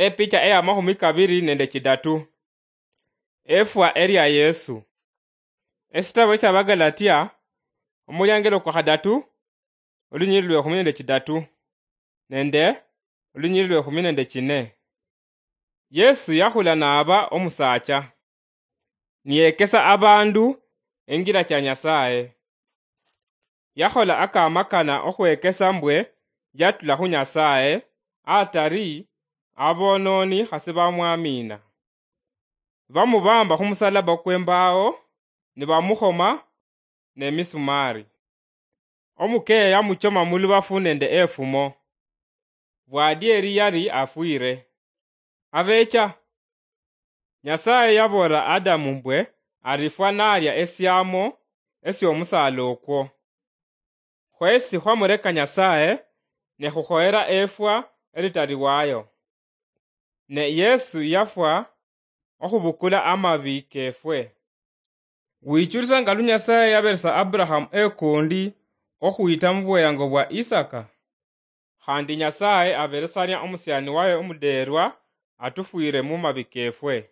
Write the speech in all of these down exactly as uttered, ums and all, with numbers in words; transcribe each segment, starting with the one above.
Epicha eya mahumi kabiri nende chidatu. Efwa eria Yesu. Esitabo esia Bagalatia, omuliangelo kwa khadatu, olunyiri lwe khumi nende chidatu, nende olunyiri lwe khumi nende chine. Yesu yakhula naba omusaacha, niyekesa abandu engira cha Nyasaye. Yakhola akamakana okhwekesa mbwe yatula khu Nyasaye, atari abononi khasi bamwamina. Bamubamba khumusalaba kwembao, nibamukhoma nemisumari. Omukeya yamuchoma mulubafu nende efumo. Bwadieri yari afwire. Abecha, Nyasaye yaboolera Adamu mbwe arifwa naria esiamo esiomusaala okwo. Khwesi khwamureka Nyasaye, ne khukhoyera efwa eritari wayo. Ne Yesu yafwa okhubukula amabi kefwe. Wichulisa nga lu Nyasaye yaberesa Abrahamu ekundi okhwita mu bweyango bwa Isaka? Khandi Nyasaye aberesania omusiani waye omuderwa atufwire mu mabi kefwe.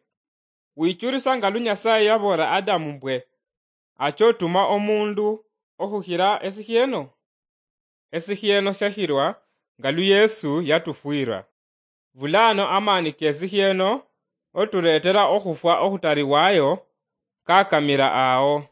Wichulisa nga lu Nyasaye yaboolera Adamu mbwe achotuma omundu okhukhira esikhieno? Esikhieno syashirwa nga lu Yesu yatufwira. Bulano amaani kesikhieno oturetera okhufwa okhutari wayo kakamira ao.